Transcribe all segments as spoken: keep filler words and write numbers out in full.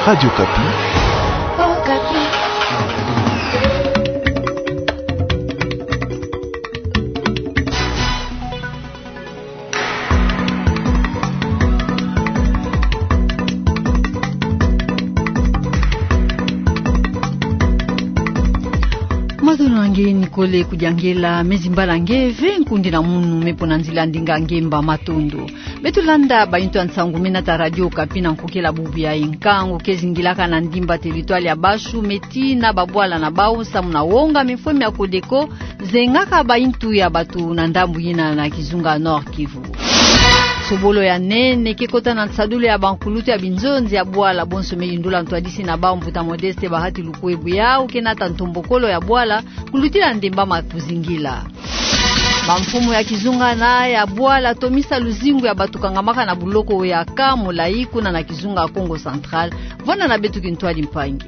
Radio Okapi. Mazono na nge ni kole kudiangela, me zimbala nge ve nkundi na munu me pona nzila ndinga ngemba. Matondo. Beto landa baintu ya nsangu me nata Radio Okapi na nkokela bubu yayi. Nkangu ke zingilaka na ndimba territoire ya Bashu me tina babwala na bau samu na wonga mifwemi ya Codeco zengaka baintu ya bato na ndambu yina na kizunga Nord-Kivu. Sobolo ya nene ke kota na nsadulu ya bankulutu ya binzonzi ya bwala. Bonso me yindula ntwadisi na bau, mbuta Modeste Bahati Lukwebo, yawu ke nata ntombokolo ya bwala kulutila ndemba ma kuzingila. Bamfumu ya kizunga na ya bwala tomisa luzingu ya bato kangamaka na buloko ya Camp Molayi kuna na kizunga Kongo Central. Vwanda na beto kintwadi mpangi.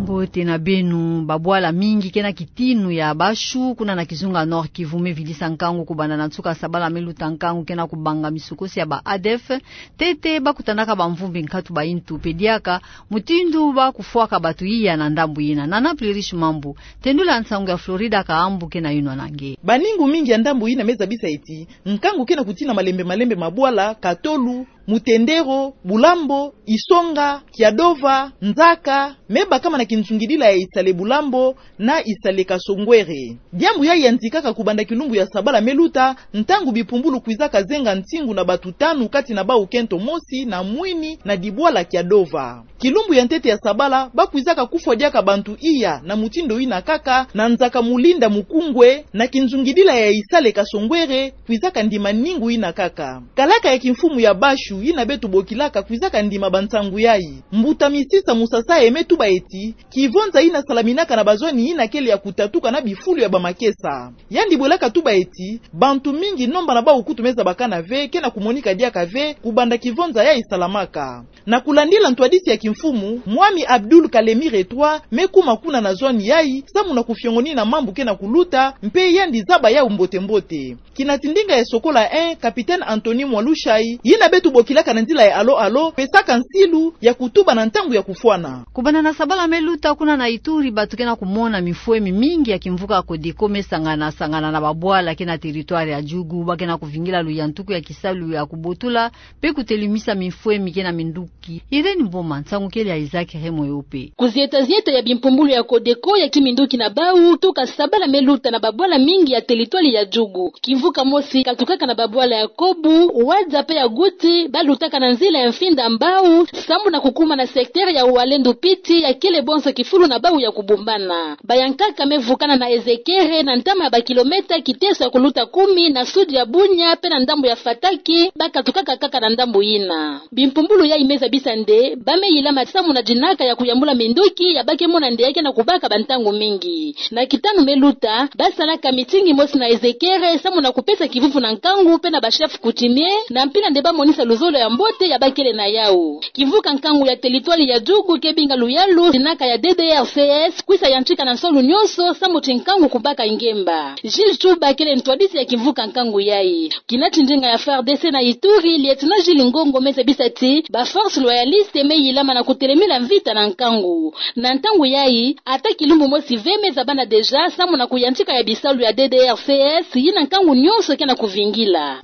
Mbote na beno. Babwala mingi ke na kitinu ya Bashu kuna na kizunga Nord-Kivu me vilisa nkangu kubanda na nsuka sabala me luta. Nkangu ke na kubanga misukosi ya ba ADF, ntete ba kutanaka bamvumbi nkatu baintu mpe diaka mutindu ba kufwaka bato iya na ndambu yina. Nana Plirish Mambu, tendula nsangu ya Florida Kahambu ke na yinwa na nge. Baningu mingi ya ndambu yina me zabisa ti nkangu ke na kutina malembe malembe ma bwala Katolu, Mutendero, Bulambo, Isonga, Kiadova, Nzaka, me bakama na kinzungidila ya Isale Bulambo na Isale Kasongwere. Diambu yayi yantikaka kubanda kilumbu ya sabala me luta, ntangu bimpumbulu kwizaka zenga ntingu na bato tanu kati na bau kento mosi na mwini na dibwala Kiadova. Kilumbu ya ntete ya sabala ba kwizaka kufwa diaka bantu iya na mutindu yina kaka na nzaka Mulinda Mukungwe, na kinzungidila ya Isale Kasongwere kwizaka ndima ningu yina kaka. Kalaka ya kimfumu ya Bashu yina beto bokilaka kwizaka ndima bansangu yayi. Mbuta Misisa Musasaye me tuba ti kivonza yina salaminaka na bazwani yina kele ya kutatuka na bifulu ya bamakesa. Yandi bwelaka tuba ti bantu mingi, nomba na bau kutu me zabakana ve, ke na kumonika diaka ve kubanda kivonza yayi salamaka. Na kulandila ntwadisi ya kimfumu, Mwami Abdul Kalemire trois me kuma kuna na zwani yayi samu na kufiongonina mambu ke na kuluta, mpe yandi zaba yawu mbote-mbote. Kinati ndinga ya sokola un, Capitaine Anthony Mwalushayi, yina beto bokilaka na nzila ya Alo Alo, pesaka nsilu ya kutuba na ntangu ya kufwana. Kubanda na sabala me luta kuna na Ituri, bato ke na kumona mifwemi mingi ya kimvuka Codeco me sangana-sangana na babwala ke na territoire ya Djugu, ba ke na kuvingila luyantuku ya kisalu ya kubotula mpe kutelemisa mifwemi ke na minduki. Irène Mboma, nsangu kele ya Isaac Remoyo mpe. Kuzieta-zieta ya bimpumbulu ya Codeco ya kiminduki na bau, tuka sabala me luta na babwala mingi ya territoire ya Djugu. Kimvuka mosi katukaka na babwala ya Kobu, Wadza mpe ya Guti, ba lutaka na nzila ya Mfinda Mbau, samu na kukuma na secteur ya Walendu Piti ya kele bonso kifulu na bau ya kubumbana. Bayankaka me vukana na Ezekere na ntama ya bakilomètre kiteso ya kuluta kumi na sud ya Bunia mpe na ndambu ya Fataki, ba katukaka kaka na ndambu yina. Bimpumbulu yayi me zabisa nde ba me yilama samu na dinaka ya kuyambula minduki ya ba ke mona nde ya ke na kubaka bantangu mingi. Na kitanu me luta, ba salaka meeting mosi na Ezekere samu na kupesa kivuvu na nkangu mpe na ba chefs coutumiers, na mpila nde ba monisa luzolo ya mbote ya ba kele na yawu. Kimvuka nkangu ya territoire ya Djugu ke binga luyalu dinaka ya D D R C S kwisa yantika na nsolu nyonso samu ti nkangu kubaka ngemba. Gilles Tshuba kele ntwadisi ya kimvuka nkangu yayi. Kinati ndinga ya F A R D C na Ituri, Lieutenant Jules Ngongo me zabisa ti ba forces loyalistes me yilama na kutelemila mvita na nkangu. Na ntangu yayi, ata kilumbu mosi ve me zabana déjà samu na kuyantika ya bisalu ya D D R C S yina nkangu nyonso ke na kuvingila.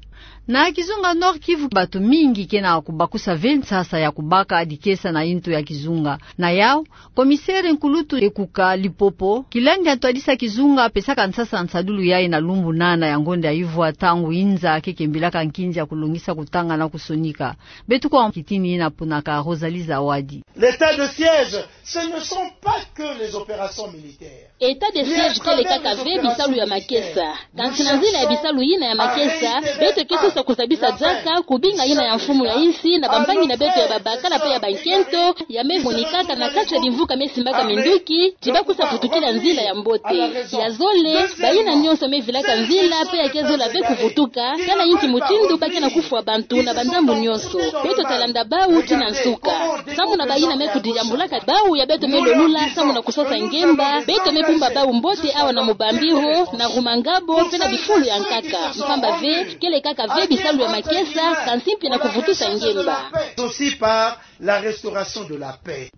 Na kizunga Nord-Kivu, bato mingi ke na kubakusa ve nsasa ya kubaka dikesa na yintu ya kizunga. Na yawu, commissaire nkulutu Ekuka Lipopo, kilandi ya ntwadisi ya kizunga, apesaka nsasa nsadulu yayi na lumbu nana ya ngonda ya ivwa, ntangu inza ke kembilaka nkinzi ya kulongisa kutanga na kusonika. Beto kwa kitini yina puna ka Rosalie Zawadi. L'état de siège, ce ne sont pas que les opérations militaires. État de siège kele kaka ve bisalu ya makesa. Kansi na nzila ya bisalu yina ya makesa, beto ke sosa kuzabisa diaka kubinga yina ya mfumu ya insi na bampangi na beto ya babakala mpe ya bankento, ya me monikaka na kati ya bimvuka me simbaka minduki, ti ba kusa vutukila nzila ya mbote. Ya zole, bayina nyonso me vilaka nzila mpe ya ke zola ve kuvutuka, tala inki mutindu ba ke na kufwa bantu na bandambu nyonso. Beto ta landa bawu tii na nsuka. Samu na bayina me kudiyambulaka, bawu ya beto me lolula samu na kusosa ngemba, beto me bumba bawu mbote awa na Mubambiro, na Rumangabo, mpe na bifulu ya nkaka. Mpamba ve, kele kaka ve Bisalu ya makesa, kansi mpe na kuvutisa ngemba. Aussi par la restauration de la paix.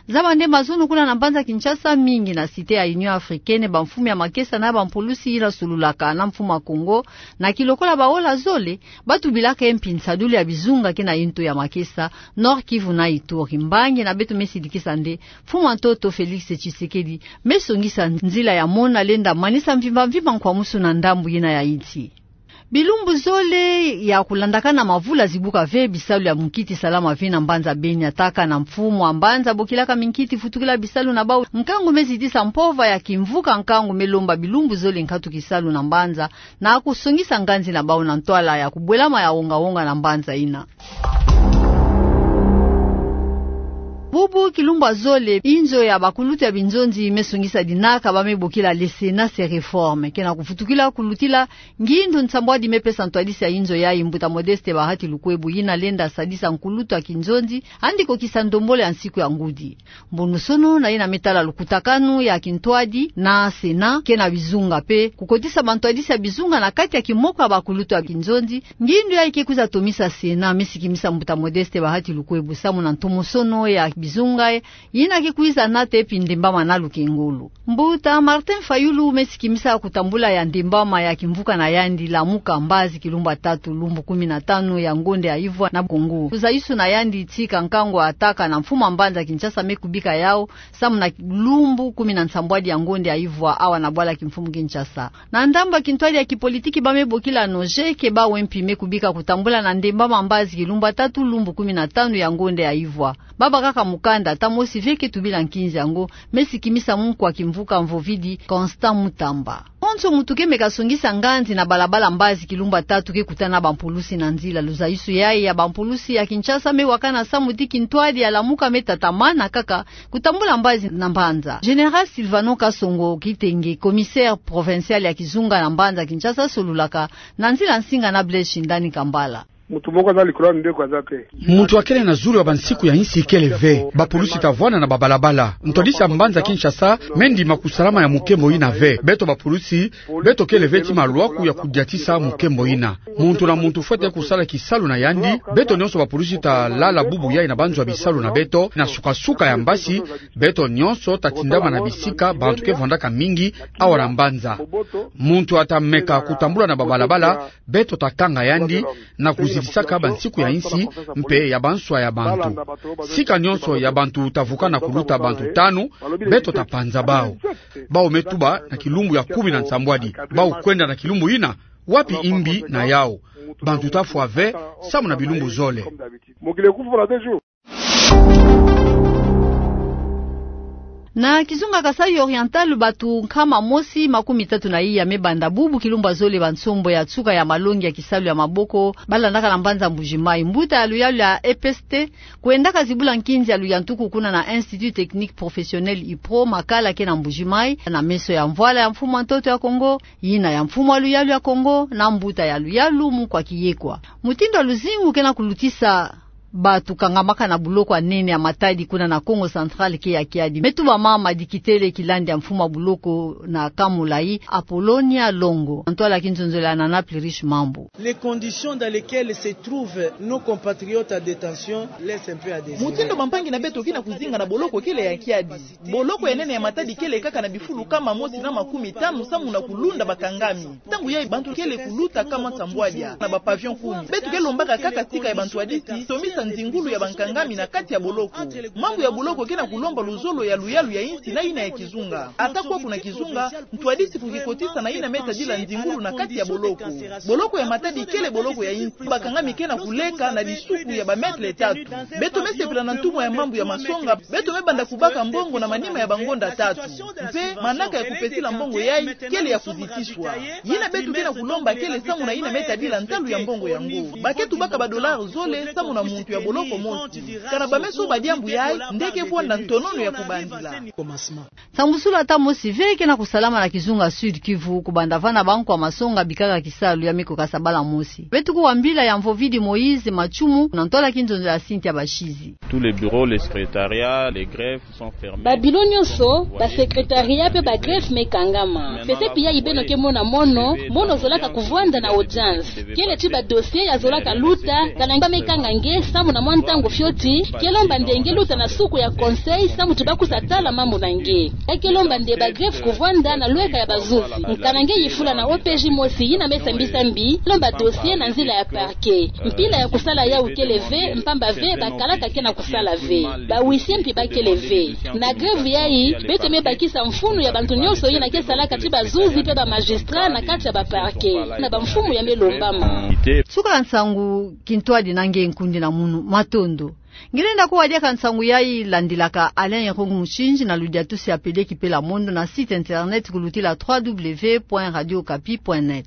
Zaba nde mazono kuna na mbanza Kinshasa, mingi na Cité ya Union Africaine, bamfumu ya makesa na bampulusi yina solulaka na mfumu ya Kongo, na kilokola baola zole, batubilaka mpi nsadulu ya bizunga ke na yintu ya makesa, Nord-Kivu na Ituri. Mbangi na beto me sidikisa nde, mfumu ya ntoto Félix Tshisekedi me songisa nzila ya mona lenda manisa mvimba mvimba nkwamusu na ndambu yina ya yinsi. Bilumbu zole ya kulandakana mavula zibuka ve, bisalu ya munkiti salama ve na mbanza Beni. Ataka na mfumu ya mbanza bokilaka minkiti vutukila bisalu na bau, nkangu me zitisa mpova ya kimvuka, nkangu me lomba bilumbu zole nkatu kisalu na mbanza, na kusongisa nganzi na bau na ntwala ya kubwelama ya wonga-wonga na mbanza yina. Bubu kilumbu ya zole, inzo ya bakulutu ya binzonzi me songisa dinaka ba me bokila le Sénat se reforme, ke na kuvutukila kulutila ngindu nsambwadi me pesa ntwadisi ya inzo yayi, mbuta Modeste Bahati Lukwebo, yina lenda sadisa nkulutu ya kinzonzi, yandi kokisa ndombolo ya nsiku ya ngudi. Mbonusono na yina me tala lukutakanu ya kintwadi na Sénat ke na bizunga mpe kukotisa bantwadisi ya bizunga na kati ya kimoko ya bakulutu ya kinzonzi. Ngindu yayi ke kwiza tomisa Sénat, me sikimisa mbuta Modeste Bahati Lukwebo samu na ntomosono ya bizunga, yina ke kwiza nata mpi ndembama na lukengolo. Mbuta Martin Fayulu me sikimisa kutambula ya ndembama ya kimvuka na yandi Lamuka Mbazi kilumbu ya tatu, lumbu kumi na tano ya ngonde ya ivwa na Kongo. Luzayusu na yandi tika nkangu ataka na mfumu ya mbanza Kinshasa me kubika yau, samu na lumbu kumi na nsambwadi ya ngonde ya ivwa awa na bwala kimfumu Kinshasa. Na ndambu ya kintwadi ya kipolitiki ba me bokila Nojeke, bau mpi me kubika kutambula na ndembama Mbazi kilumbu ya tatu, lumbu kumi na tano ya ngonde ya ivwa. Babakaka mukanda, ata mosi ve ke tubila nkinzi yango, me sikimisa munkwa kimvuka Mvovidi, Constant Mutamba. Konso muntu ke me kasongisa nganzi na balabala Mbazi kilumbu ya tatu ke kutana bampulusi na nzila. Luzayusu yayi ya bampulusi ya Kinshasa me wakana samu ti kintwadi ya Lamuka me tatamana kaka kutambula Mbazi na mbanza. Général Sylvano Kasongo Kitenge, commissaire provincial ya kizunga na mbanza Kinshasa, solulaka na nzila nsinga na Blaise Shindani Kambala. Muntu moko aza likolo ya mibeko aza te. Muntu akele na zulu ya bansiku ya yinsi kele ve. Bapulusi ta vwanda na babalabala. Ntwadisi ya mbanza Kinshasa me ndima kusalama ya mukembo yina ve. Beto bapulusi, beto kele ve ti malwaku ya kudiatisa mukembo yina. Muntu na muntu fwete kusala kisalu na yandi. Beto nyonso bapulusi ta lala bubu yayi na banzo ya bisalu na beto. Na suka-suka ya mbasi, beto nyonso ta tindama na bisika bantu ke vwandaka mingi awa na mbanza. Muntu ata meka kutambula na babalabala, beto ta kanga yandi na kuzidisaka bansiku ya yinsi mpe ya banswa ya bantu. Sika nyonso ya bantu ta vuka na kuluta bantu tanu, beto ta panza bau. Bau me tuba na kilumbu ya kumi na nsambwadi. Bau kwenda na kilumbu yina, wapi imbi na yau? Bantu ta fwa ve, samu na bilumbu zole. Na kizunga Kasaï Oriental, batu nkama mosi makumi tatu na iya me banda bubu kilumbu ya zole bansombo ya nsuka ya malongi ya kisalu ya maboko balandaka na mbanza Mbuji-Mayi. Mbuta ya luyalu ya E P S T kwendaka zibula nkinzi ya luyantuku kuna na Institut Technique Professionnel, IPRO, makala ke na Mbuji-Mayi, na meso ya mvwala ya mfumu ya ntoto ya Kongo, yina ya mfumu ya luyalu ya Kongo, na mbuta ya luyalu Mukwa Kiyekwa. Mutindu ya luzingu ke na kulutisa batu kangamaka na boloko ya nene ya Matadi kuna na Kongo Central ke ya kiadi. Me tuba mama Dikitele Kilandi ya mfumu ya boloko na Kamulayi, Apolonia Longo. Ntwala ya kinzonzolo ya Nana Plurish Mambu. Les conditions dans lesquelles se trouvent nos compatriotes en détention laissent un peu à désirer. Mutindu bampangi na beto ke na kuzinga na boloko kele ya kiadi. Boloko ya nene ya Matadi kele kaka na bifulu nkama mosi na makumi tanu samu na kulunda bakangami. Ntangu yayi bantu kele kuluta nkama nsambwadia na ba pavillon kumi. Beto ke lombaka kaka tika ya bantwadisi tomisa nzingulu ya bankangami na kati ya boloko. Mambu ya boloko ke na kulomba luzolo ya luyalu ya insi na yina ya kizunga. Ata kwaku na kizunga, ntwadisi fo kikotisa na yina me tadila nzingulu na kati ya boloko. Boloko ya Matadi kele boloko ya insi. Bakangami ke na kuleka na disuku ya ba mètres tatu. Beto me sepela na ntumwa ya mambu ya masonga, beto me banda kubaka mbongo na manima ya bangonda tatu. Mpe manaka ya kupesila mbongo yayi kele ya kuzitiswa. Yina beto ke na kulomba kele samu na yina me tadila ntalu ya mbongo yango. Ba ke tubaka ba dollars zole samu na muntu boloko mosi. Kana bameso ba diambu yayi nde ke vwanda ntonono ya kubandila. Nsambusulu ata mosi ve ke na kusalama na kizunga Sud-Kivu, kubanda vana bankwa masonga bikaka kisalu ya meko kasabala mosi. Beto kuwa mbila ya Mvovidi Moïse Matshimu na ntwala kinzonzolo ya Cynthia Bashizi. Tous les bureaux, les secrétariats, les greffes sont fermés. Babilo nyonso, ba secrétariat pe ba greffe me kangama. Fese pi yayi beno ke mona mono, mono zolaka kuvwanda na audience. Kele ti ba dossier ya zolaka luta, kana nge ba me kanga nge, samu na mwa ntangu fioti, ke lomba nde nge luta na suku ya conseil, samu ti ba kusa tala mambu na nge. Ya ke lomba nde ba greffe kuvwanda na lweka ya bazuzi. Kana nge yifula na O P J mosi yina me sambisa mbi, lomba dossier na nzila ya parquet. Mpila ya kusala yawu kele ve, mpamba ve, bakalaka ke na kusala ve. Ba huissier mpi ba kele ve. Na greffe yayi, beto me bakisa mfunu ya bantu nyonso yina ke salaka ti bazuzi pe ba magistrat na kati ya ba parquet. Na bamfumu ya me lombama. Suka la nsangu, kintwadi na nge nkundi na munu, matondo. Ngienda kuwa diaka nsangu yayi landilaka Alain Irung Mushinji na ludiatusi ya pele ki pela mondo na site internet kulutila trois W point radio okapi point net.